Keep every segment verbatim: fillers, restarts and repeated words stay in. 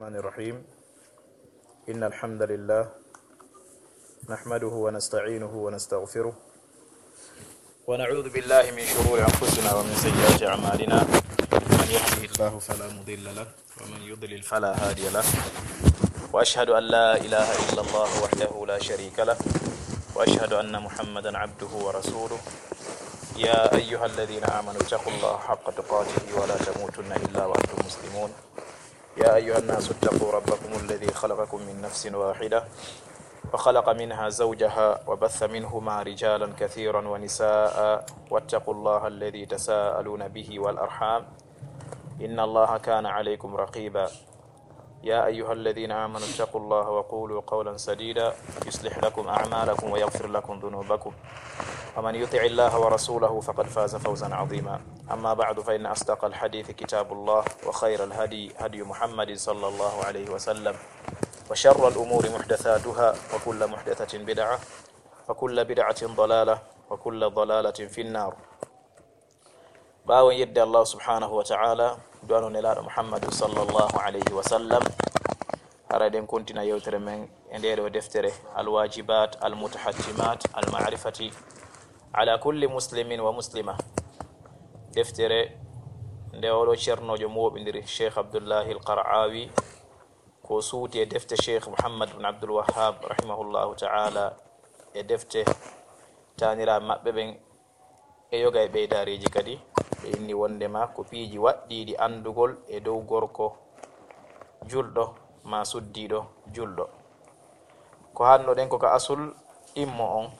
الرحمن الرحيم. إن الحمد لله نحمده ونستعينه ونستغفره، ونعوذ بالله من شرور أنفسنا ومن سيئات أعمالنا. من يهده الله فلا مضل له، ومن يضلل فلا هادي له. وأشهد أن لا إله إلا الله وحده لا شريك له، وأشهد أن محمدا عبده ورسوله. يا أيها الذين آمنوا اتقوا الله حق تقاته ولا تموتن إلا وأنتم مسلمون. يا أيها الناس اتقوا ربكم الذي خلقكم من نفس واحدة وخلق منها زوجها وبث منهما رجالا كثيرا ونساء واتقوا الله الذي تساءلون به والأرحام إن الله كان عليكم رقيبا. يا أيها الذين آمنوا اتقوا الله وقولوا قولا سديدا يصلح لكم أعمالكم ويغفر لكم ذنوبكم ومن يطع الله ورسوله فقد فاز فوزا عظيما. أما بعد، فإن أصدق الحديث كتاب الله، وخير الهدي هدي محمد صلى الله عليه وسلم، وشر الأمور محدثاتها، وكل محدثة بدعة، وكل بدعة ضلالة، وكل ضلالة في النار. Ɓaawo yedde Allah subhanahu wa ta'ala, du'ano Nelaaɗo Muhammadu sallallahu alayhi wa sallam, hara eɗen kontina yewtere men e ndee ɗoo deftere, Al-Wajibat Al-Mutahattimat Al-Ma'rifati ala kulli muslimin wa muslima. Deftere nde oɗo ceernoojo mooɓindiri, Cheikh Abdullahi Al-Qara'awi, ko suuti e defte Cheikh Muhammad bin Abdul Wahhab rahimahullahu ta'ala, e defte taaniraaɓe maɓɓe ɓen, e yoga e ɓeydaareeji kadi, ɓe inni wonndema ko piiji waɗɗiiɗi anndugol e dow gorko julɗo maa suddiiɗo julɗo. Ko haalnoɗen ko ka asul ɗimmo on,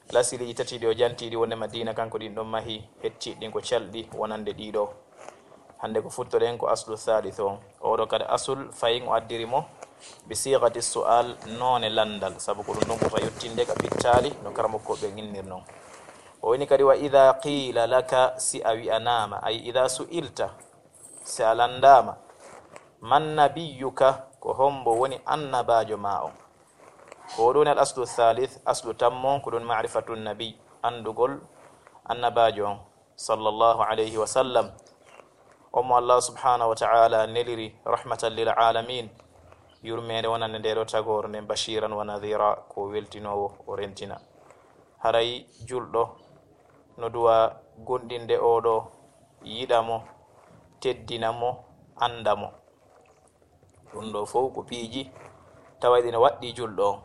lasiliiji tati ɗi o janti ɗi wonndema diina kanko ɗin ɗon mahi, hettiiɗi ɗin ko calɗi wonande ɗii ɗoo. Hannde ko futtoɗen ko aslu thalith on. Oɗo kadi asul, fayin o addiri mo bi sighati su'al, noone lanndal, sabu ko ɗum ɗon ɓurta yottinde ka pittaali no karamokko ɓen innir non. O woni kadi, wa idha qila laka, si a wi'anaama, ay idha su'ilta, si a lanndaama, man nabiyyuka, ko hombo woni annabaajo maa on? Ko ɗum woni al aslu thalith, aslu tammo, ko ɗum ma'rifatu nabi, anndugol annabaajo on, sallallahu alayhi wa sallam. On mo Allah subhanahu wa ta'ala neliri rahmatan lil alamin, yurmeende wonande ndee ɗoo tagoore nden, bashiran wa nadhira, ko weltinoowo, o rentina. Haray julɗo no duwa gomɗinde oɗo, yiɗa mo, teddina mo, annda mo. Ɗum ɗoo fow ko piiji tawayɗi no waɗɗii julɗo on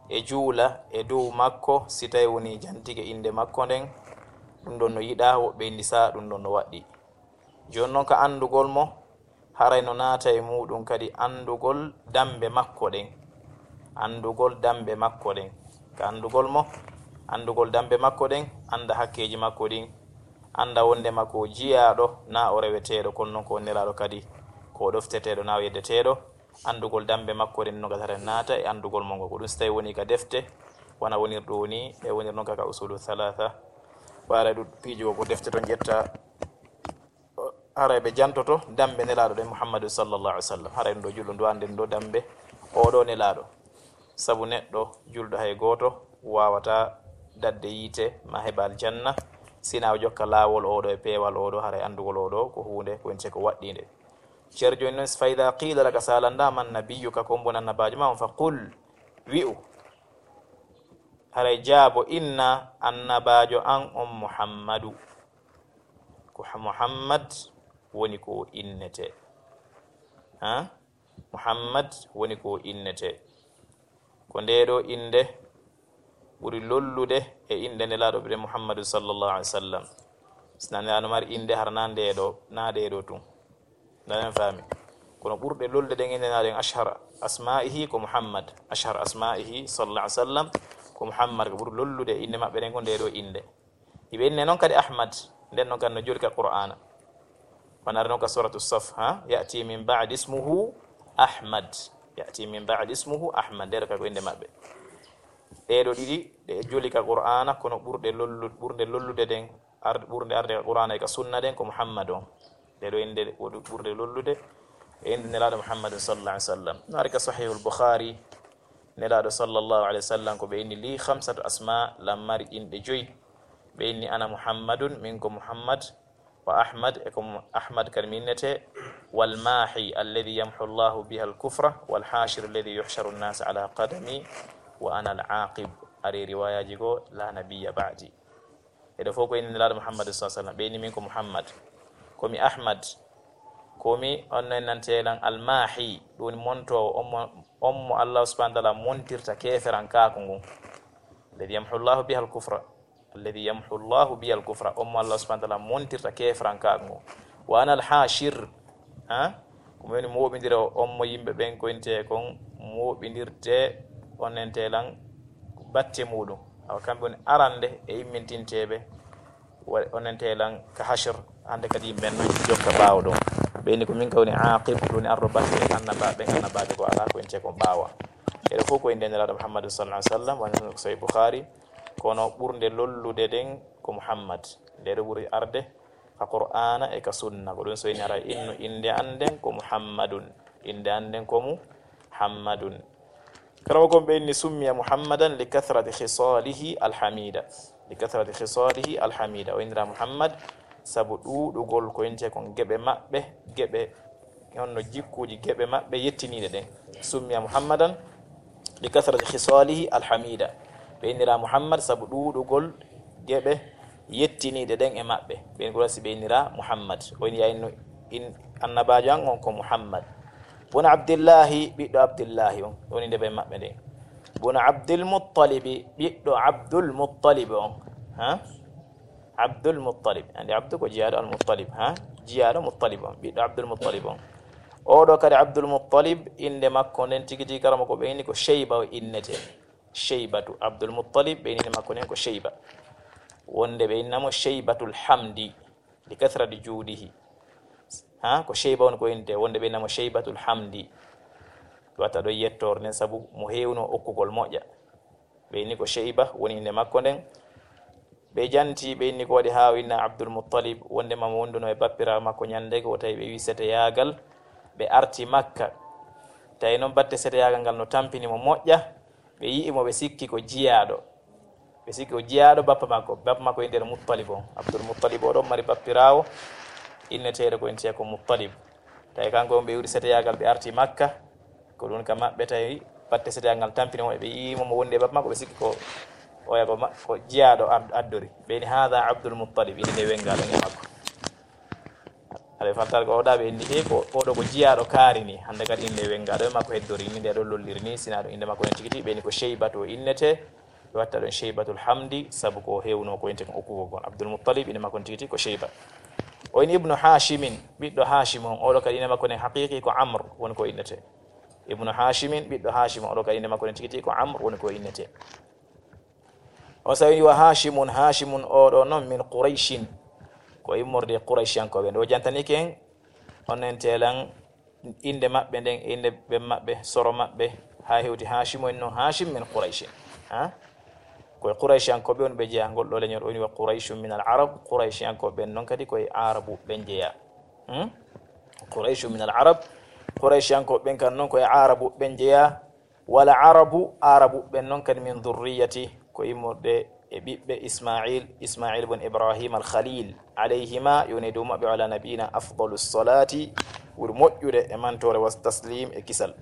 e juula e dow makko, si tawi wonii jantike innde makko nden, ɗum ɗon no yiɗaa, woɓɓe inni saa ɗum ɗon no waɗɗii. Jooni non, ka anndugol mo, haray no naata e muuɗum kadi anndugol dammbe makko ɗen. Anndugol dammbe makko ɗen. Ka anndugol mo, anndugol dammbe makko ɗen, annda hakkeeji makko ɗin, annda wonndema ko o jiyaaɗo, naa o reweteeɗo, kono non ko o nelaaɗo kadi, ko o ɗofteteeɗo, naa o yeddeteeɗo. Anndugol dammbe makko ɗen no gatata naata e anndugol mo ngo. Ko ɗum si tawi woni ka defte, wona wonir ɗum woni, e wonir non ka, ka usulu thalatha. Ɓaara ɗum piiji ko, ko defte ton ƴetta, haray ɓe jantoto dammbe Nelaaɗo ɗen Muhammadu sallallahu alaihi wasallam. Haray ɗum ɗoo julɗo ndu annden ɗoo dammbe oɗo Nelaaɗo. Sabu neɗɗo julɗo hay gooto waawataa daɗde yiite maa heɓa aljanna, si hinaa o jokka laawol oɗo e peewal oɗo, haray anndugol oɗo ko huunde ko woni ko waɗɗiinde. Ceerno jooni non, fa idha qila laka, si a lanndaama, man nabiyyuka, ko hombo woni annabaajo maa on, fa qul, wi'u, haray jaabo, inna, annabaajo an on Muhammadu. Ko ha-, Muhammad woni ko o innetee. Ha? Muhammad woni ko o innetee. Ko ndee ɗoo innde ɓuri lollude e inɗe Nelaaɗo meɗen Muhammadu sallallahu alaihi wasallam. Si naa Nelaaɗo mari innde hara naa ndee ɗoo, naa ɗee ɗoo tun. Ndaa, en faami. Kono ɓurɗe lollude ɗen innde Nelaaɗo en, ashhar asma'ihi ko Muhammad. Ashhar asma'ihi sallallahu alaihi wasallam ko Muhammad, ko ɓuri lollude e inɗe maɓɓe ɗen ko ndee ɗoo innde. Iɓe inne non kadi Ahmad, nden non kadi no joli ka Qur'aana. Wano ari non ka Suratu Saf, ha? Ya'ti min ba'di ismuhu Ahmad. Ya'ti min ba'di ismuhu Ahmad. Ndee ɗoo kadi ko innde maɓɓe. Ɗee ɗoo ɗiɗi, ɗe joli ka Qur'aana, kono ɓurɗe lollu-, ɓurnde lollude ɗen, ar-, ɓurnde arde ka Qur'aana e ka sunna ɗen ko Muhammad on. Ɗee ɗoo innde ko ɗu-, ɓurnde lollude e innde Nelaaɗo Muhammadun sallallahu alaihi wasallam. No ari ka Sahihul Bukhari, Nelaaɗo sallallahu alaihi wasallam ko ɓe inni, li khamsatu asma, lan mari inɗe joyi. Ɓe inni, ana Muhammadun, min ko Muhammad, Wa Ahmad, e ko mo Ahmad kadi mi innete, wal maahi alladhi yamhu Allahu biha al kufra, wal hashir alladhi yuhsharu an-nas ala qadami, wa ana al aqib. Ari riwayaji goo, la nabiyya ba'di. Eɗo fof ko inde Nelaaɗo Muhammad sallallahu alaihi wasallam. Ɓe inni min ko Muhammad. Ko mi Ahmad. Ko mi on no nante lan al maahi, ɗum woni montoowo, on mo, on mo Allah subhanahu wa ta'ala montirta keeferankaaku ngun. Alladhi yamhu Allahu biha al kufra. Alladhi yamhu Allahu biha al kufra. On mo Allah subhanahu wa ta'ala montirta keeferankaaku ngun. Wa ana al hashir. Ha? Ko mi woni mooɓindiro on mo yimɓe ɓen koyntee kon mooɓindirte onente lan batte muuɗum. Awa kamɓe woni arande e immintinteeɓe wa-, onente lan ka hashir, hande kadi yimɓe ɓen non jokka ɓaawo ɗum. Ɓe inni ko min ka woni aqib, woni arɗo batte annabaaɓe, annabaaɓe ko alaa koyntee kon ɓaawa. Eɗo fof ko innde Nelaaɗo Muhammad sallallahu alaihi wasallam, woni no Sahih Bukhari, kono ɓurnde lollude ɗen ko Muhammad. Nde ɗo ɓuri arde ka Qur'aana e ka sunna. Ko ɗum so ini ara innu innde an nden ko Muhammadun. Innde an nden ko Muhammadun. Kala ko ɓe inni summiya Muhammadan li kathrati khisalihi alhamida. Li kathrati khisalihi alhamida. O innira Muhammad sabu ɗuuɗugol ko innte kon geɓe maɓɓe, geɓe, honno jikkuuji geɓe maɓɓe yettiniiɗe ɗen. Summiya Muhammadan li kathrati khisalihi alhamida. Ɓe innira Muhammad sabu ɗuuɗugol geɓe yettiniiɗe ɗen e maɓɓe. Ɓen ko wasi ɓe innira Muhammad. O inni ya innu in annabaajo an on ko Muhammad. Bun Abdillahi, ɓiɗɗo Abdillahi on. Woni nde ɓe maɓɓe nden. Bun Abdul Muttalibi, ɓiɗɗo Abdul Muttalib on. Ha? Abdul Muttalib. Andi Abdu ko jiyaaɗo Al Muttalib. Ha? Jiyaaɗo Muttalib on. Ɓiɗɗo Abdul Muttalib on. Oɗo kadi Abdul Muttalib, innde makko nden tigi tigi karama ko ɓe inni ko Sheyba o innete. Sheybatu. Abdul Muttalib, ɓe inni makko nden ko Sheyba. Wonde ɓe innamo Sheybatul Hamdi. Li kathrati juudihi. Ha? Ko Sheyba on ko innete. Wonde ɓe innamo Sheybatul Hamdi. Wata ɗo yettoor nden sabu mo heewno okkugol moƴƴa. Ɓe inni ko Sheyba woni innde makko nden. Ɓe janti, ɓe inni ko waɗi haa o inna Abdul Muttalib, wondema mo wonduno e bappiraawo makko ñande ko tawi ɓe wi seteyaagal, ɓe arti Makka. Tawi noon batte seteyaagal ngal no tampini mo moƴƴa, ɓe yi'i mo, ɓe sikki ko jiyaaɗo. Ɓe sikki ko jiyaaɗo bappa makko. Bappa makko innde Muttalib on. Abdul Muttalib o ɗon mari bappiraawo inneteeɗo ko innetee ko Muttalib. Tawi kanko on ɓe iwri seteyaagal, ɓe arti Makka. Ko ɗum ka maɓɓe tawi batte seteyaagal ngal tampini mo, ɓe yi'i mo, mo wondi e bappa makko, ɓe sikki ko oya ko ma-, ko jiyaaɗo ad-, addori. Ɓe inni, "Haada Abdul Muttalib," innde wengaaɗo e makko. Aɗa fantar ko oɗa ɓe inni, "E ko, oɗo ko jiyaaɗo kaari ni," hannde kadi innde wengaaɗo e makko heddori ni, nde ɗo lolliri ni, sina ɗum innde makko en tigi tigi, ɓe inni ko Sheybatu o innete, ɓe watta ɗon Sheybatul Hamdi, sabu ko hewno ko innete kon okkugol kon. Abdul Muttalib, innde makko en tigi tigi ko Sheyba. O inni Ibnu Hashimin, ɓiɗɗo Hashim on, oɗo kadi innde makko nen haqiqi ko Amr, woni ko innete. Ibnu Hashimin, ɓiɗɗo Hashim, oɗo kadi innde makko nen tigi tigi ko Amr, woni ko innete. O sawini wa Hashimun, Hashimun oɗo non min Qurayshin, ko immorde Qurayshiyankooɓe. Nde o jantani ken, on en telan innde maɓɓe nden, e innde ɓe maɓɓe, soro maɓɓe, haa hewti Hashimu en non, Hashim min Qurayshin. Ha? Ko e Qurayshiyankooɓe on ɓe jeyaa ngol ɗo leñol, o woni wa Qurayshun min al Arab, Qurayshiyankooɓe ɓen non kadi ko e Aarabu ɓen jeyaa. Hmm? Qurayshun min al Arab, Qurayshiyankooɓe ɓen kan non ko e Aarabu ɓen jeyaa. Wala Arabu, Aarabu ɓen non kadi min dhurriyati, ko immorde e ɓiɓɓe Ismail, Ismail bun Ibrahim al Khalil, alayhima, yo ne dow maɓɓe, wa ala nabiyina afdalu salati, ɓuri moƴƴude e mantoore, wa taslim e kisal.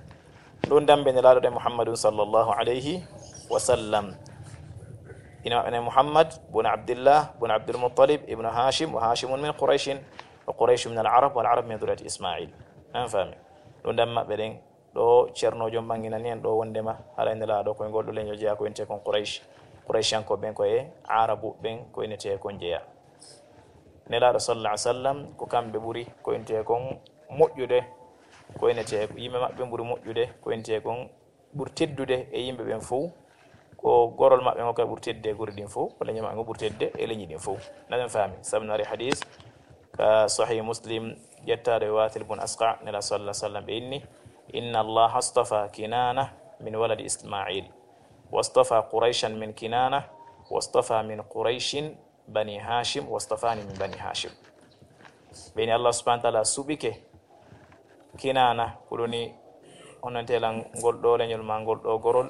Ɗum dambe Nelaaɗo ɗen Muhammadun sallallahu alayhi wa sallam. Ina maɓɓe nen Muhammad bun Abdillah bun Abdul Muttalib ibnu Hashim, wa Hashimun min Qurayshin, wa Qurayshun min al Arab, wal Arab min dhurriyati Ismail. An faami? Ɗum dambe maɓɓe ɗen, ɗo Ceerno Joom ɓanginani en ɗo wondema haray Nelaaɗo ko e ngol ɗo leñol jeyaa ko innetee kon Quraysh. Qurayshiyankooɓe ɓen ko e Aarabu ɓen ko innetee kon jeyaa. Nelaaɗo sallallahu alaihi wasallam ko kamɓe ɓuri ko innetee kon moƴƴude, ko innetee yimɓe maɓɓe ɓuri moƴƴude, ko innetee kon ɓuri teddude e yimɓe ɓen fow. Ko gorol maɓɓe ngol kadi ɓuri tedde e gure ɗin fow, ko leñol maɓɓe ngol ɓuri tedde e leñi ɗin fow. Naɗen faami, sabu no ari hadis ka Sahih Muslim, ƴettaaɗo e Wathil bun Asqa, Nelaaɗo sallallahu alaihi wasallam ɓe inni, "Inna Allaha astafa Kinana min waladi Ismail, wastafa Qurayshan min Kinana, wastafa min Qurayshin bani Hashim, wastafani min bani Hashim." Ɓe inni Allah subhanahu wa ta'ala suɓike Kinana, ko ɗum ni onon telan ngol ɗo leñol ma ngol ɗo gorol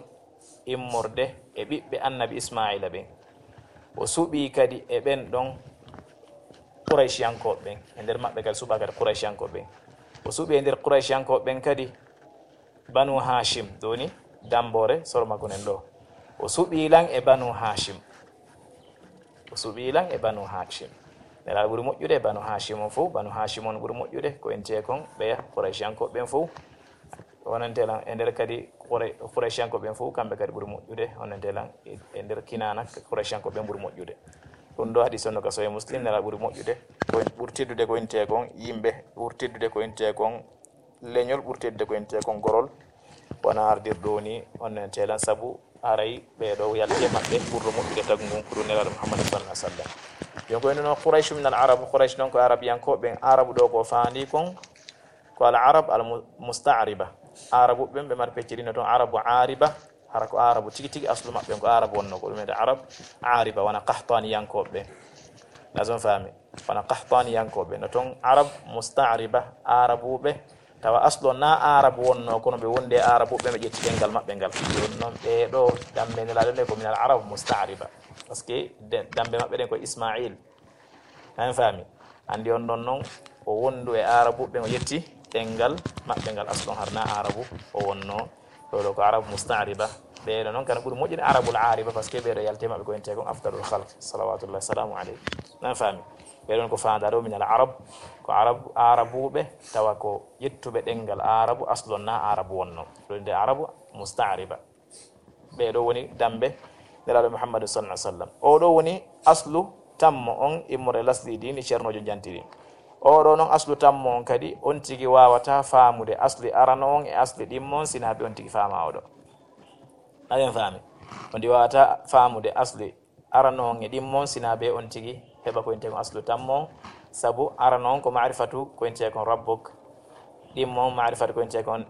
immorde e ɓiɓɓe annabi Ismaila ɓen. O suɓi kadi e ɓen ɗon Qurayshiyankooɓe ɓen, e nder maɓɓe kadi suɓaa kadi Qurayshiyankooɓe ɓen. O suɓii e nder Qurayshiyankooɓe ɓen kadi Banu Hashim, ɗo woni Damboore soro makko nen ɗo. O suɓii lan e Banu Hashim. O suɓii lan e Banu Hashim. Nelaaɗo ɓuri moƴƴude e Banu Hashim on fow, Banu Hashim on ɓuri moƴƴude, ko entee kon ɓeya Qurayshiyankooɓe ɓen fow. Wonante lan e nder kadi Qura-, Qurayshiyankooɓe ɓen fow, kamɓe kadi ɓuri moƴƴude. Wonante lan e, e nder Kinaana, Qurayshiyankooɓe ɓen ɓuri moƴƴude. Ɗum ɗo hadiis on no ka Sahih Muslim, Nelaaɗo ɓuri moƴƴude, ko en, ɓuri teddude ko entee kon yimɓe, ɓuri teddude ko entee kon leñol, ɓuri teddude ko entee kon gorol, wona ardirɗo woni on nen telan, sabu haray ɓee ɗo yalti e maɓɓe ɓurɗo moƴƴude tagu ngun ko ɗum Nelaaɗo Muhammad sallallahu alaihi wasallam. Jon ko en no Quraysh min al Arab, Quraysh non ko Arabiyankooɓe ɓen, Arabu ɗo ko faandi kon ko al Arab al mu-, musta'riba. Arabu ɓen ɓe mari pecce ɗiɗi no ton, Arabu Ariba, hara ko Arabu tigi tigi, aslu maɓɓe ko Arabu wonno, ko ɗum wiyete Arab Ariba, wona Qahtaniyankooɓe ɓen. Lazon faami, wona Qahtaniyankooɓe no ton, Arab musta'riba, Arabuɓe, tawa aslo na Arabu wonno, kono ɓe wondi e Arabuɓe, ɓe ƴetti ɗemngal maɓɓe ngal. Ɗum noon ɓee ɗo dambe Nelaaɗo nde ko min al Arab musta'riba, parce que de-, dambe maɓɓe ɗen ko Ismail. An faami? Anndi on ɗon noon, o wondu e Arabuɓe, o ƴetti ɗemngal maɓɓe ngal, aslo har na Arabu o wonno. Ɗo ɗo ko Arabu musta'riba. Ɓee ɗo noon kana ɓuri moƴƴude Arabul Ariba, parce que ɓee ɗo yalti e maɓɓe ko entee kon afdalul khalq, salawatullahi salamu alayhi. An faami? Ɓee ɗon ko faandaa ɗo min al Arab, ko Arab, Arabuɓe, tawa ko ƴettuɓe ɗemngal Arabu, aslo na Arabu wonno. Ɗo nde Arabu musta'riba. Ɓee ɗo woni dambe Nelaaɗo Muhammadu sallallahu alaihi wasallam. Oo ɗo woni aslu tammo on immorde lasli diini Ceernoojo Janti ɗin. Oo ɗo non aslu tammo on kadi on tigi waawata faamude asli arano on e asli ɗimmo on sina ɓe on tigi faama oo ɗo. Aɗen faami? On tigi waawata faamude asli arano on e ɗimmo on sina ɓe on tigi heɓa ko intee kon aslu tammo on. Sabu arano on ko ma'rifatu ko intee kon rabbuk. Ɗimmo on ma'rifatu ko intee kon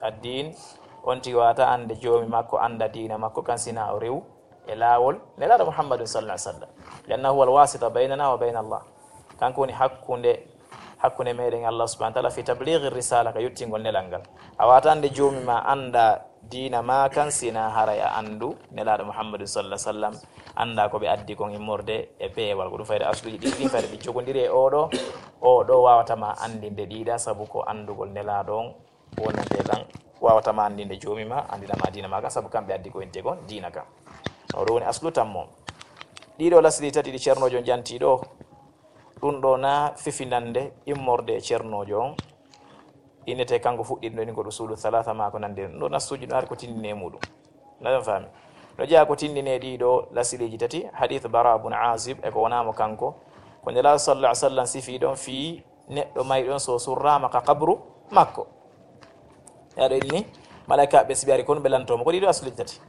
addiin, on tigi waawata annde joomi makko, annda diina makko kan sina o rewu e laawol Nelaaɗo Muhammadun sallallahu alaihi wasallam. Li'annahu huwal wasita baynana wa bayna Allah. Kanko woni hakkunde, hakkunde meɗen e Allah subhanahu wa ta'ala fi tablighi risala, ka yottingol nelal ngal. A waawata annde joomi ma, annda diina ma kan sina haray a anndu Nelaaɗo Muhammadun sallallahu alaihi wasallam, annda ko ɓe addi kon immorde e peewal. Ko ɗum fayde asluji ɗiɗi ɗin fayde ɓe jogondiri e oo ɗo, oo ɗo waawata ma anndinde ɗiɗa sabu ko anndugol Nelaaɗo on wonante lan, waawata ma anndinde joomi ma, anndina ma diina ma kan, sabu kamɓe addi ko intee kon diina kan. O ɗo woni aslu tammo. Ɗiɗo lasli tati ɗi Ceernoojo on janti ɗo, ɗum ɗo na fifindande immorde e Ceernoojo on. Innete kanko fuɗɗiɗo ɗin ko usulu thalatha ma ko nandi ɗum ɗo, nassuji ɗum ari ko tindini e muɗum. Naɗon faami? No jeyaa ko tindini e ɗiɗo lasliiji tati, hadith Bara bun Azib e ko wonaa mo kanko. Ko Nelaaɗo sallallahu alaihi wasallam sifi ɗon fii neɗɗo mayɗo on so surraama ka qabru makko. Yaɗo inni, malaikaaɓe si ɓe ari kon ɓe lanto mo ko ɗiɗo asluji tati.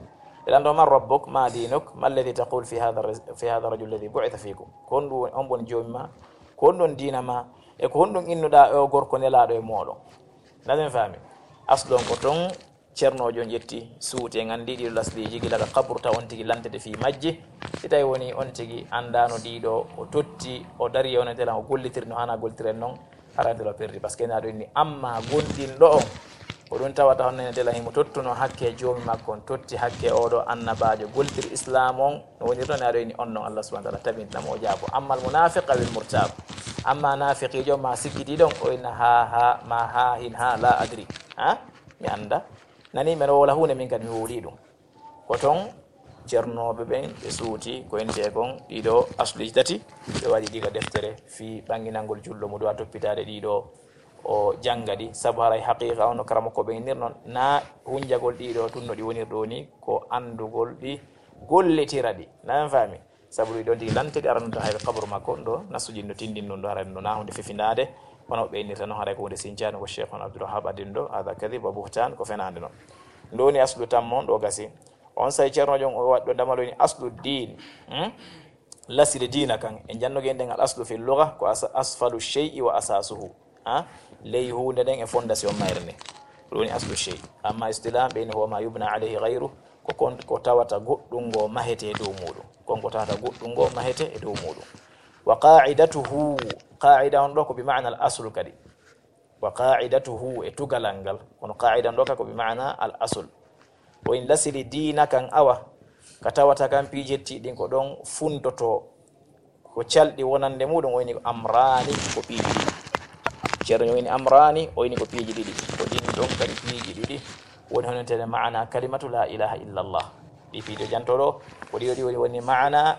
Ɓe lanto: "Man rabbuk, ma dinuk, ma alladhi taqul fi hadha ar-, fi hadha ar-rajul alladhi bu'itha fikum?" Ko honɗum woni, on woni joomi ma? Ko honɗum diina ma? E ko honɗum innuɗaa e o gorko nelaaɗo e mooɗon? Naɗen faami? Aslu on ko ton Ceernoojo on ƴetti suuti, en anndi ɗiɗo lasliiji gila ka qabru, taw on tigi lantete fii majji. Si tawi woni on tigi anndaano ɗiɗo, o totti, o dari e on e telan, o gollitiri no haanaa gollitiren non, hara nde ɗo perdi. Parce que na ɗo inni, amma gomɗinɗo on, ko ɗum tawata honno ne telan himo tottuno hakke joomi makko on, totti hakke oo ɗo annabaajo, gollitiri Islaam on, no woniri non, na ɗo inni on non Allah subhanahu wa ta'ala tabintina mo o jaabo. Amma al munafiq awil murtab, amma naafiqiijo ma sikkitiiɗo on, o inna ha, ha, ma ha, hin ha, la adri. Ha? Mi annda. Nani men o wala huunde, min kadi mi wowlii ɗum. Ko ton ceernooɓe ɓen ɓe suuti ko intee kon ɗiɗo asluji tati, ɓe waɗi ɗi ka deftere fii ɓannginangol julɗo mo duwa toppitaade ɗiɗo, o jannga ɗi. Sabu haray haqiiqa on no karamoko ɓe innir non, na hunjagol ɗiɗo tun no ɗi wonir ɗo ni, ko anndugol ɗi, gollitira ɗi. Na en faami? Sabu ɗum ɗon tigi lante ɗi aranunta hayre kaburu makko, ɗo nassuji no tindin ɗum ɗo, haray ɗum ɗo na hunde fefindaade, kono ɓe innirta noon haray ko hunde sincaani, ko Cheikh on Abdul Wahhab addin ɗo, hada kadib wa buhtan, ko fenaande noon. Ɗum woni aslu tammo, ɗo gasi. On say ceernoojo on o waɗi ɗo damal woni aslu diin, hmm? Lasili diina kan. En jannoge en ɗen al aslu fi lugha ko as-, asfalu shay'i wa asasuhu. Ha? Ley huunde nden e fondation mayre nden. Ɗum woni aslu shay'i. Amma istilah ɓe ni huwa ma yubna alayhi ghayru, ko kon ko tawata goɗɗum ngo mahete e dow muɗum. Kon ko tawata goɗɗum ngo mahete e dow muɗum. Wa qa'idatuhu, qa'ida on ɗo ko bi ma'na al asl kadi. Wa qa'idatuhu e tugalal ngal. Kono qa'ida on ɗo ka ko bi ma'na al asl. O in lasili diina kan awa, ka tawata kan piijetti ɗin ko ɗon funtoto. Ko calɗi wonande muɗum o woni ko amrani, ko piiji ɗiɗi. Ceerno o woni amrani, o woni ko piiji ɗiɗi. Ko ɗin ɗon kadi piiji ɗiɗi woni honantede maana kalimatu la ilaha illallah. Ɗi piiji o janto ɗo, ko ɗi o ɗi woni, woni maana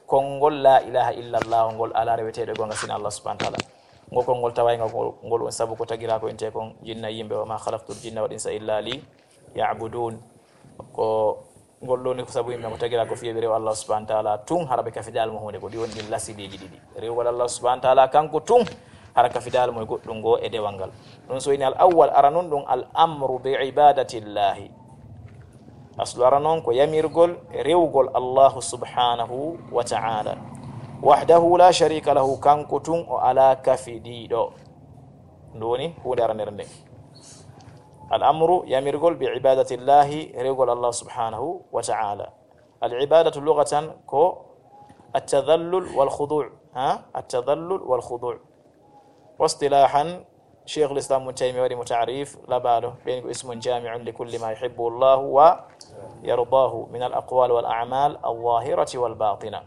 konngol la ilaha illallah ngol, alaa reweteeɗo e goonga sina Allah subhanahu wa ta'ala. Ngol konngol taway ngol, ngol woni sabu ko tagira ko inte kon jinna yimɓe, wa ma khalaqtul jinna wal insa illa li ya'budun. Ko ngol ɗoni ko sabu yimɓe ko tagira ko fiye ɓe rewa Allah subhanahu wa ta'ala tun, hara ɓe kafidaali mo huunde. Ko ɗi woni ɗin lasidiiji ɗiɗi. Rewgol Allah subhanahu wa ta'ala kanko tun, hara kafidaali mo e goɗɗum ngo e dewal ngal. Ɗum so woni al awwal, ara nun ɗum al amru bi ibadatillahi. Aslu ara noon ko yamirgol rewgol Allahu subhanahu wa ta'ala. Wahdahu la sharika lahu, kanko tun o alaa kafidiiɗo. Ndu woni huunde aranere nden. Al amru, yamirgol, bi ibadatillahi, rewgol Allah subhanahu wa ta'ala. Al ibadatu lugatan ko at-tadhallul wal khudu', ha? At-tadhallul wal khudu'. Wa istilahan, Sheikhul Islam Ibn Taymiyyah waɗi mo ta'rif, labaɗo, ɓen ko ismun jami'un li kulli ma yuhibbu Allahu wa yardahu min al aqwal wal a'mal al zahirati wal batina.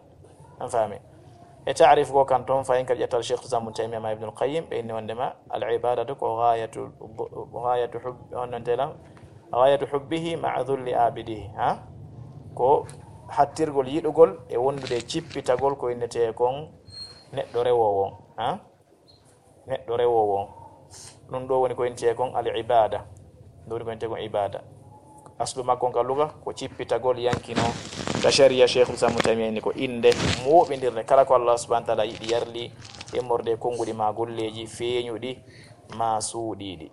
An faami? E ta'rif go kan ton fayin ka ƴettal Sheikhul Islam Ibn Taymiyyah ma Ibnul Qayyim, ɓe inni wondema al ibadatu ko ghayatu, ghayatu hub-, on non telam, ghayatu hubbihi ma'a dhulli abidihi, ha? Ko hattirgol yiɗugol e wondude cippitagol ko innete kon neɗɗo rewoowo on, ha? Neɗɗo rewoowo on. Ɗum ɗo woni ko intee kon al ibada. Ɗum woni ko intee kon ibada. Aslu makko on ka luga ko cippitagol yankino. Ka sharia Sheikhul Islam Ibn Taymiyyah ni ko innde mooɓindirde kala ko Allah subhanahu wa ta'ala yiɗi yarli, immorde e konnguɗi ma golleeji feeñuɗi ma suuɗiiɗi.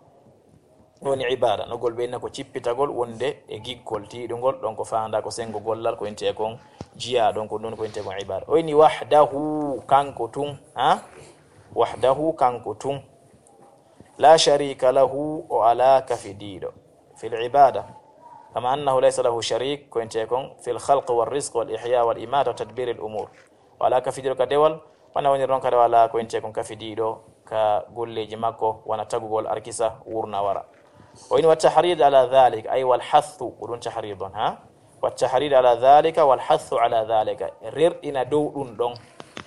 Ɗum woni ibada. Nogol ɓe inna ko cippitagol wonde e giggol tiiɗungol, ɗon ko faanda ko sengo gollal, ko intee kon jiya, ɗon ko ɗum ko intee kon ibada. O inni wahdahu, kanko tun, ha? Wahdahu, kanko tun. La sharika lahu, o alaa kafidiiɗo. Fil ibada. Kama annahu laysa lahu sharik, ko intee kon, fil khalq wal rizq wal ihya wal imata wa tadbir al umur. O alaa kafidiiɗo ka dewal, wona woniri noon kadi o alaa ko intee kon kafidiiɗo ka golleeji makko, wona tagugol arkisa, wurna wara. O ini wa tahrid ala dhalik, ay wal hathu, ko ɗum tahrid on, ha? Wa tahrid ala dhalika wal hathu ala dhalika. Rerɗina dow ɗum ɗon.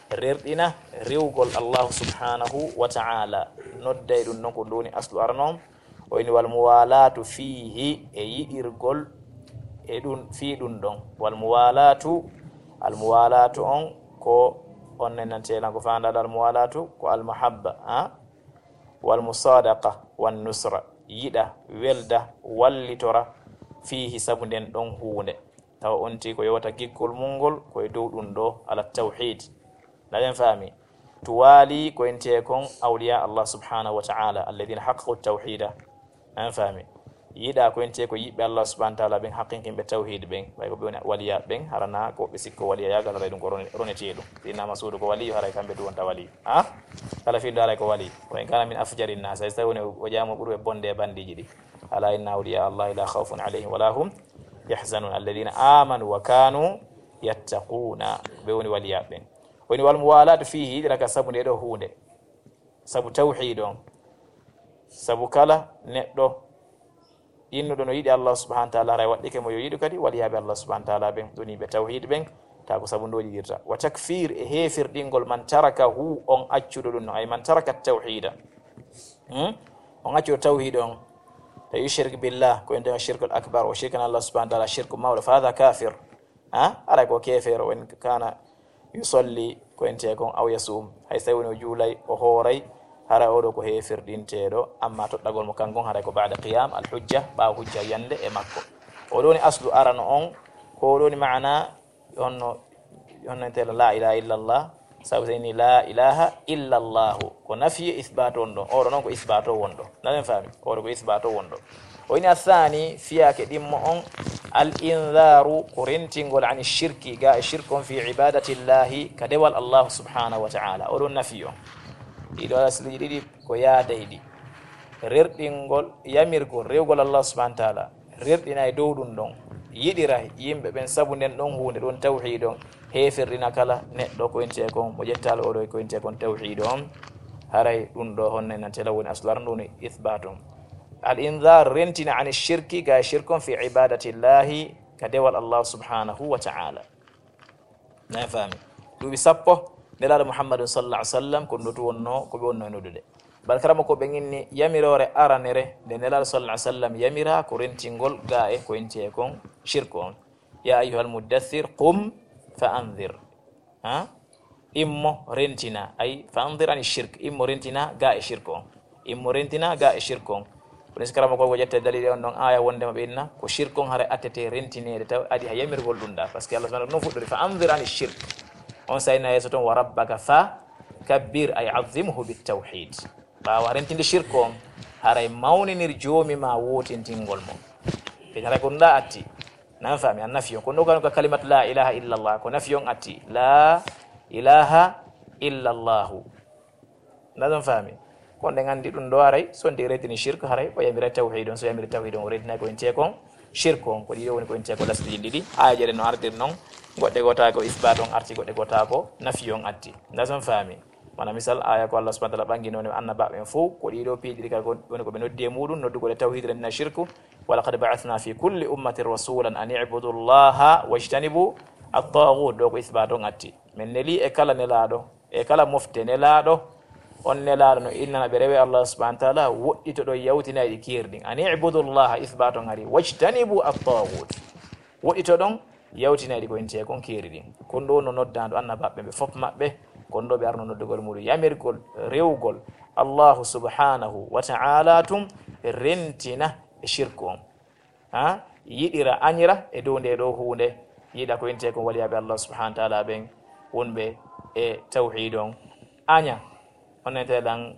Rerɗina rewgol Allahu subhanahu wa ta'ala. Nodday ɗum ɗon ko ɗum woni aslu arano on. O ini wal muwalatu fihi, e yiɗirgol e ɗum, fii ɗum ɗon. Wal muwalatu, al muwalatu on ko on nenantelan ko faandaɗo al muwalatu ko al mahabba, ha? Wal musadaqa wan nusra, yiɗa, welda, wallitora, fiihi, sabu nden ɗon huunde. Tawa on ti ko yowata giggol mum ngol ko e dow ɗum ɗo, ala tawhid. Naɗen faami? Tuwaali ko entee kon awliya Allah subhanahu wa ta'ala, alladhina haqqaqu tawhida. Naɗen faami? Yiɗa ko entee ko yiɓɓe Allah subhanahu wa ta'ala ɓen, haqqinkinɓe tawhid ɓen, ɓay ko ɓe woni waliya ɓen, harana ko ɓe sikko waliya yagal, haray ɗum ko rone-, ronetee ɗum. Si innama suudu ko waliyu, haray kamɓe du wonta waliyu. Ha? Kala fiiɗo haray ko wali. Wa in kana min afjari nnas, hay so tawi woni o jaamo ɓurɓe bonde e bandiji ɗi. Ala inna awliya Allahi la khawfun alayhim wa la hum yahzanun, alladhina amanu wa kanu yattaquna. Ɓe woni waliya ɓen. Woni wal muwalatu fihi, yiɗira ka sabu nde ɗo huunde. Sabu tawhid on. Sabu kala neɗɗo innuɗo no yiɗi Allah subhanahu wa ta'ala, haray waɗɗike mo yo yiɗu kadi waliyaaɓe Allah subhanahu wa ta'ala ɓen, ɗum yimɓe tawhid ɓen, ta ko sabu ndoji yiɗirta. Wa takfir, e heefirɗingol, man tarakahu, on accuɗo ɗum no, ay man taraka tawhida. Hmm? On accuɗo tawhid on, tawi yushrik billah, ko ende on shirkul akbar, o shirkana Allah subhanahu wa ta'ala shirku mawɗo, fa hadha kafir. Ha? Haray ko keefeero, wa in kana yusalli, ko entee kon, aw yasum, hay so tawi woni o juulay, o hooray, haray oɗo ko heefirɗinteeɗo, amma toɗɗagol mo kanko on haray ko ba'da qiyam al hujja, ɓaawo hujja yande e makko. Oɗo woni aslu arano on, ko oɗo woni maana honno, honno entee la ilaha illallah, sabu so inni la ilaha illallahu, ko nafi e isbaatu on ɗon, oɗo noon ko isbaatu o won ɗo. Naɗen faami? Oɗo ko isbaatu o won ɗo. O ini athani, fiyaake ɗimmo on, al inzaru, ko rentingol ani shirki, ga e shirk on fi ibadatillahi, ka dewal Allah subhanahu wa ta'ala. Oɗo nafi on. Ɗiɗo asliji ɗiɗi ko yaadayɗi. Rerɗingol, yamirgol, rewgol Allah subhanahu wa ta'ala. Rerɗina e dow ɗum ɗon. Yiɗira yimɓe ɓen sabu nden ɗon huunde ɗon tawhid on. Heefirɗina kala neɗɗo ko intee kon, mo ƴettaali oɗo ko intee kon tawhid on. Haray ɗum ɗo honno nantela woni aslu arano ɗum woni ithbat on. Al inzar, rentina ani shirki, ga shirk on fi ibadatillahi, ka dewal Allah subhanahu wa ta'ala. Na faami? Duuɓi sappo, Nelaaɗo Muhammadun sallallahu alaihi wasallam, ko ɗum ɗo tu wonno, ko ɓe wonno e noddude. Bal karama ko ɓe inni yamiroore aranere nde Nelaaɗo sallallahu alaihi wasallam yamira ko rentingol ga e ko intee kon shirk on. "Ya ayyuhal muddaththir, qum fa anzir." Ha? Immo rentina, ay fa anzir ani shirk, immo rentina ga e shirk on. Immo rentina ga e shirk on. Kono si karama ko ko ƴetta dalil on ɗon aya wondema ɓe inna ko shirk on hara attete rentineede taw adi ha yamirgol ɗum ɗa. Parce que Allah subhanahu wa ta'ala non fuɗɗori fa anzir ani shirk. On sayna yeeso ton wa rabbaka fa kabbir ay azimhu bit tawhid. Ɓaawa rentinde shirk on haray mawninir joomi ma wootintingol mo. Ɓe haray ko ɗum ɗa atti. Nan faami, an nafi on. Kono ɗo ka kalimat la ilaha illallah, ko nafi on atti. La ilaha illallahu. Nan ɗon faami. Kono ɗen anndi ɗum ɗo aray, so ndi retini shirk haray, o yamira tawhid on, so yamiri tawhid on, o retina ko intee kon shirk on, ko ɗiɗo woni ko intee ko lasɗi ɗiɗi. Aya jere no ardir non, goɗɗe gota ko isbat on arti, goɗɗe gota ko nafi on atti. Nan ɗon faami. Mana misal, aya ko Allah subhanahu wa ta'ala ɓangi noon e annabaaɓe ɓen fof, ko ɗiɗo piiji ɗiɗi kala ko woni ko ɓe noddi e muɗum, noddugol e tawhid, rentina shirku. "Wa laqad ba'athna fi kulli ummatin rasulan an i'budu Allaha wajtanibu at-taghut." Ɗo ko isbat on atti. Men neli e kala nelaaɗo, e kala mofte nelaaɗo, on nelaaɗo no innana ɓe rewe Allah subhanahu wa ta'ala, woɗɗitoɗon yawtinayɗi keeri ɗin. An i'budu Allaha, isbat on ari, wajtanibu at-taghut. Woɗɗitoɗon yawtinayɗi ko intee kon keeri ɗin. Kon ɗo no noddaandu annabaaɓe ɓe fof maɓɓe, kon ɗo ɓe arno noddugol muɗum yamirgol rewgol Allahu subhanahu wa ta'ala tun rentina e shirku on. Ha? Yiɗira añira e dow nde ɗo huunde, yiɗa ko intee kon waliyaaɓe Allah subhanahu wa ta'ala ɓen wonɓe e tawhid on. Aña, on nete lan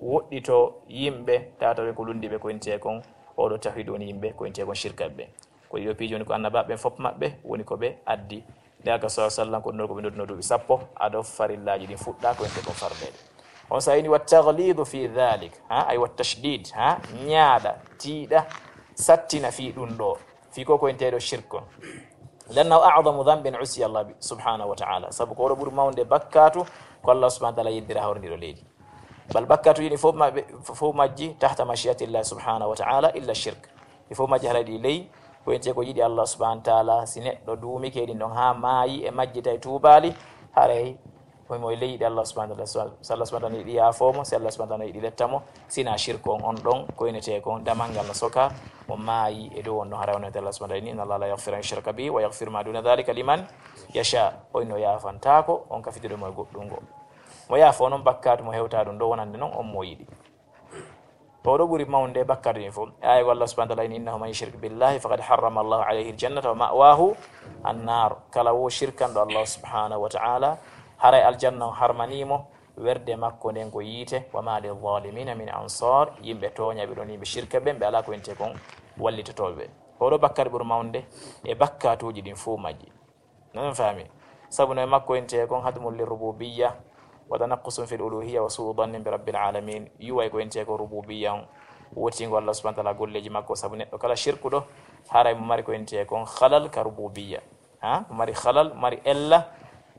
woɗɗito yimɓe, tawatawe ko lundi ɓe ko intee kon, oɗo tawhid woni yimɓe ko intee kon shirkaɓe ɓe. Ko ɗiɗo piiji woni ko annabaaɓe ɓen fof maɓɓe woni ko ɓe addi. Nde aka sallallahu alaihi wasallam ko ɗum ɗo ko ɓe nodduno duuɓi sappo ado farillaaji ɗin fuɗɗa ko intee kon fardeede. On sa ini wa taghlidu fi dhalik, ha, ay wa tashdid, ha, ñaaɗa, tiiɗa, sattina fi ɗum ɗo, fi ko ko intee ɗo shirk on. Lannahu a'zamu dhanbin usiya Allah bi-, subhanahu wa ta'ala. Sabu ko oɗo ɓuri mawde bakkatu ko Allah subhanahu wa ta'ala yeddira hawrindiro leydi. Bal bakkatuuji ɗi fof maɓɓe, fof majji tahta mashiatillahi subhanahu wa ta'ala illa shirk. Ɗi fof majji haray ɗi ley, ko intee ko yiɗi Allah subhanahu wa ta'ala, si neɗɗo duumike ɗin ɗon haa maayi e majji tawi tuubaali, haray ko mo e ley yiɗi Allah subhanahu wa ta'ala. So Allah subhanahu wa ta'ala yiɗi yaafoo mo, si Allah subhanahu wa ta'ala yiɗi letta mo, sina shirk on, on ɗon ko inetee kon damal ngal no soka, mo maayi e dow on ɗon haray on Allah subhanahu wa ta'ala inni, inna Allah la yaghfiru an yushraka bihi wa yaghfiru ma duna dhalika liman yasha. O inno yaafantaako on ka fitude mo e goɗɗum ngo. Mo yaafoo noon bakkaatu mo hewtaa ɗum ɗo wonande noon on mo yiɗi. Ko ɗo ɓuri mawnude bakkaatu ɗin fof. Aaya ko Allah subhanahu wa ta'ala inni, innahu man yushrik billahi faqad harrama Allahu alayhi aljannata wa ma'wahu annar. Kala wo shirkanɗo Allah subhanahu wa ta'ala, haray aljanna o harmanii mo, werde makko nden ko yiite, wa ma lilzalimina min ansar, yimɓe tooñaaɓe ɗon, yimɓe shirka ɓen, ɓe alaa ko intee kon wallitotooɓe ɓe. Ko ɗo bakkaatu ɓuri mawnude e bakkaatuuji ɗin fof majji. Nan faami. Sabu no e makko intee kon hadmun lirrububiyya wa tanaqqusun fil uluhiyya wa su'u dhannin bi rabbil alamin. Yuway ko intee ko rububiyya on, wotingo Allah subhanahu wa ta'ala golleeji makko, sabu neɗɗo kala shirkuɗo, haray mo mari ko intee kon halal ka rububiyya. Ha? Mo mari halal, mari ella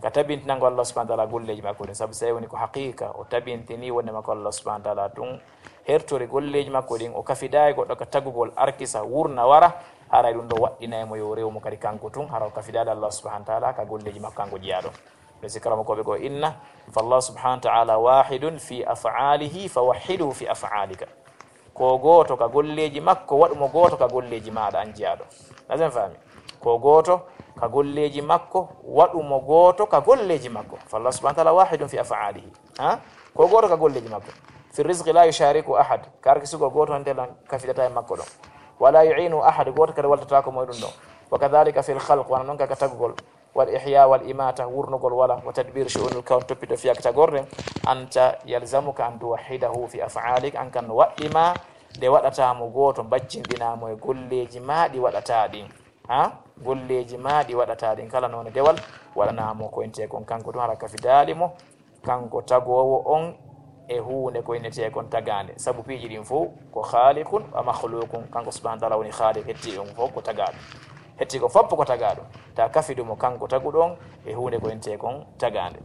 ka tabintinango Allah subhanahu wa ta'ala golleeji makko ɗin. Sabu sey woni ko haqiqa, o tabintini wonde makko Allah subhanahu wa ta'ala tun hertori golleeji makko ɗin, o kafidaa e goɗɗo ka tagugol, arkisa, wurna, wara, haray ɗum ɗo waɗɗinay mo yo rew mo kadi kanko tun, hara o kafidaade Allah subhanahu wa ta'ala ka golleeji makko kanko jeyaaɗo. Ɓe si karamokooɓe ko inna, fa Allah subhanahu wa ta'ala wahidun fi af'alihi fa wahhiduhu fi af'alika. Ko gooto ka golleeji makko, waɗu mo gooto ka golleeji maaɗa an jeyaaɗo. Nasen faami? Ko gooto ka golleeji makko, waɗu mo gooto ka golleeji makko. Fa Allah subhanahu wa ta'ala wahidun fi af'alihi. Ha? Ko gooto ka golleeji makko. Fi rizqi la yushariku ahad. Ka arkisugol gooto on telan kafidata e makko ɗon. Wala yu'inu ahad, gooto kadi waltataako mo e ɗum ɗon. Wa kadhalika fil khalq, wano non ka, ka tagugol. Wal ihya wal imata, wurnugol wala. Wa tadbir shu'unil kawn, toppito fiyaka tagorde. Anta yalzamuka an tuwahhidahu fi af'alik, an kan no waɗɗi ma nde waɗata mo gooto, mbaccinɗina mo e golleeji ma ɗi waɗata ɗin. Ha? Golleeji ma ɗi waɗata ɗin, kala noone dewal waɗana mo ko intee kon kanko tun, hara kafidaali mo kanko tagoowo on e huunde ko innetee kon tagaande. Sabu piiji ɗin fof ko khaliqun wa makhluqun, kanko subhanahu wa ta'ala woni khaliq, hetti on fof ko tagaaɗo. Hetti ko fof ko tagaaɗo. Ta kafidu mo kanko taguɗo on e huunde ko intee kon tagaande.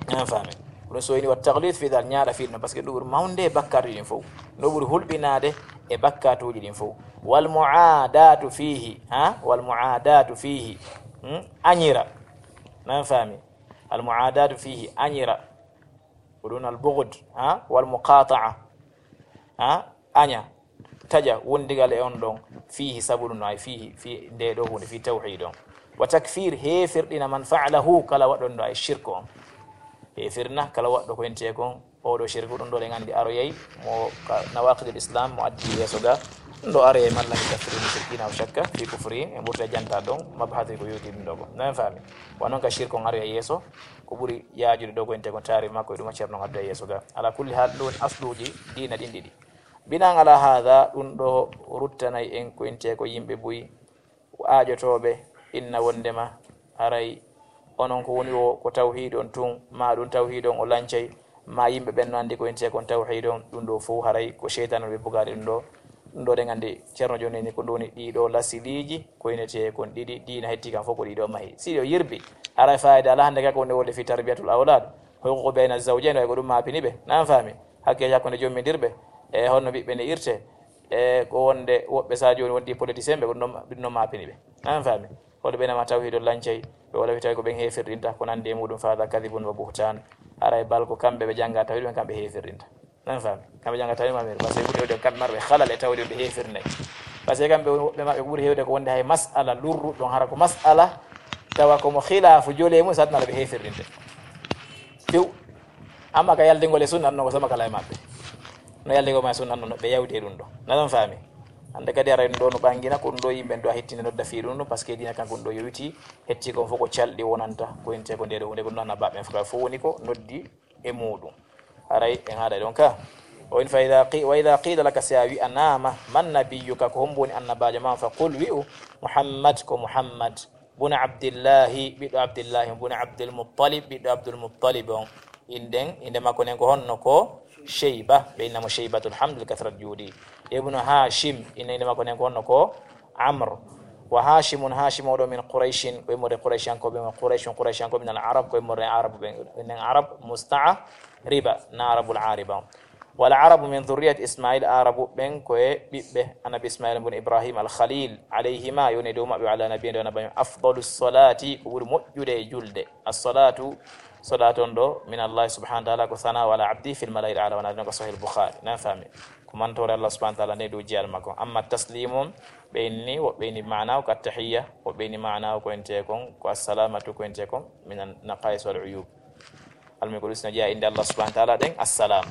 An faami? Ɗum so ini wa taglid fi dal, ñaaɗa fi ɗum, parce que ɗum ɓuri mawnde e bakkaatuuji ɗin fof. No ɓuri hulɓinaade e bakkaatuuji ɗin fof. Wal mu'adatu fihi, ha? Wal mu'adatu fihi. Hmm? Añira. Nan faami? Al mu'adatu fihi, añira. Ko ɗum al bughd, ha? Wal muqata'a, ha? Aña, taƴa wondigal e on ɗon, fihi, sabu ɗum ɗo, ay fihi, fi nde ɗo hunde, fi tawhid on. Wa takfir, heefirɗina, man fa'alahu, kala waɗɗo ɗum ɗo, ay shirk on. Heefirna kala waɗɗo ko entee kon oɗo shirku, ɗum ɗo ɗen anndi aroyay mo ka nawaqidul islam, mo addi yeeso ga. Ɗum ɗo aroyay malla mi kafiri mushrikina o shakka fi kufri, en ɓurta janta ɗon, mabhasi ko yewti ɗum ɗo ko. Non faami. Wa non ka shirk on aroyay yeeso, ko ɓuri yaajude ɗo ko entee kon taarif makko e ɗum a ceerno on addoya yeeso ga. Ala kulli hal, ɗum woni asluuji diina ɗin ɗiɗi. Binan ala hada, ɗum ɗo ruttanay en ko entee ko yimɓe buy, aaƴotooɓe, inna wonndema haray onon ko woni o ko tawhid on tun, ma ɗum tawhid on o lancay, ma yimɓe ɓen no anndi ko entee kon tawhid on, ɗum ɗo fof haray ko seytaane on ɓe bugaade ɗum ɗo. Ɗum ɗo ɗen anndi ceerno jooni ni ko ɗum woni ɗiɗo lasiliiji ko inetee kon ɗiɗi, diina hetti kan fof ko ɗiɗo mahi. Si ɗo yirbi, haray fayida ala hannde kaka wonde wonde fi tarbiyatul awlad, huququ bayna zawjayn, way ko ɗum maapini ɓe, nan faami? Hakke hakkunde jommindirɓe, e honno ɓiɓɓe ne irte, e ko wonde woɓɓe sa jooni wondi politicien ɓe, ko ɗum ɗo, ɗum ɗo maapini ɓe, nan faami? Hoɗo ɓe nama tawhidol lancay, ɓe wala fi tawi ko ɓen heefirɗinta, ko nandi e muɗum, fa hada kadibun wa buhtan. Haray bal ko kamɓe ɓe jannga tawhid, ɓen kamɓe heefirɗinta. Nan faami? Kamɓe jannga tawhid maɓɓe, parce que ɓuri hewde kamɓe marɓe halal e tawhid ɓe heefirnay. Parce que kamɓe woɓɓe maɓɓe ko ɓuri hewde ko wonde hay mas'ala lurru ɗon, hara ko mas'ala tawa ko mo khilaafu jole mum, satnala ɓe heefirɗinde. Few. Amma ka yaldingol e sunna, no ko sama kala e maɓɓe. No yaldingol ma e sunna, no ɓe yawti e ɗum ɗo. Na ɗon faami? Hannde kadi aray ɗum ɗo no ɓangina, ko ɗum ɗo yimɓe ɗo a hettinde nodda fii ɗum ɗum, parce que diina kan ko ɗum ɗo yowiti, hetti kon fof ko calɗi wonanta, ko inte ko nde ɗo hunde, ko ɗum ɗo na baɓɓe fof, fof woni ko noddi e muɗum. Aray en haɗa ɗon ka. O in fa idha qi-, wa idha qila laka, si a wi'anaama, man nabiyyuka, ko hombo woni annabaajo ma, fa qul, wi'u, Muhammad, ko Muhammad. Bun Abdillahi, ɓiɗɗo Abdillahi, bun Abdul Muttalib, ɓiɗɗo Abdul Muttalib on. Inɗen, innde makko nden ko honno? Ko Sheyba, ɓe inna mo Sheybatul Hamd li kathrat juudi. Ibnu Hashim, inna innde makko nden ko honno? Ko Amr. Wa Hashimun, Hashim oɗo min Qurayshin, ko immorde Qurayshankooɓe, wa Qurayshun, Qurayshankooɓe min al Arab, ko immorde Arabu ɓen, enen Arab musta'riba, na Arabul Ariba. Wal Arabu min dhurriyati Ismail, Arabu ɓen ko e ɓiɓɓe Annabi Ismail bun Ibrahim al Khalil, alayhima, yo ne dow maɓɓe, wa ala nabiyina, dow Annabi afdalu salati, ko ɓuri moƴƴude e julde. As-salatu, salatu on ɗo, min Allah subhanahu wa ta'ala, ko sana ala abdi fil mala'il ala, wona ɗon ko Sahih Bukhari, nan fami. Ko mantore Allah subhanahu wa ta'ala nde dow jiyal makko. Amma taslimu, ɓe inni, woɓɓe inni maana o ko attahiyya, woɓɓe inni maana o ko ente kon, ko assalamatu ko ente kon, min an naqais wal uyub. Almi ko ɗum sina jeya innde Allah subhanahu wa ta'ala ɗen, assalam.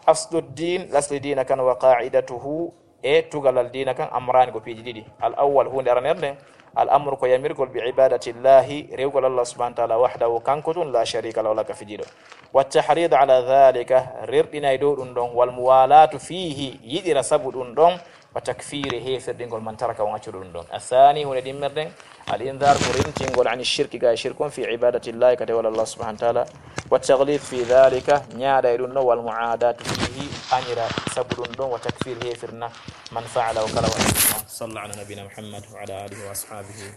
Aslu din, lasli diina kan wa qa'idatuhu, e tugalal diina kan, amrani ko piiji ɗiɗi. Al awwal, hunde aranere nden, al amru ko yamirgol bi ibadatillahi, rewgol Allah subhanahu wa ta'ala wahdahu, kanko tun, la sharika lahu, wala ka fijiɗo. Wa tahrid ala dhalika, rerɗinay dow ɗum ɗon, wal muwalatu fihi, yiɗira sabu ɗum ɗon, wa takfiri, heefirɗingol man taraka on accuɗo ɗum ɗon. Athani, hunde ɗimmerɗen, al indhar ko rintingol ani shirki ga e shirkun fi ibadatillahi ka tewal Allah subhanahu wa ta'ala. Wa taghlid fi dhalika, ñaaɗa e ɗum ɗon, wal mu'adatu fihi, añira sabu ɗum ɗon, wa takfir, heefirna man fa'ala o kala waɗi ɗum ɗon. Salla ala nabina Muhammad wa ala alihi wa ashabihi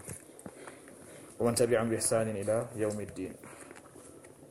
wa man tabi'ahum bi ihsanin ila yawmiddin.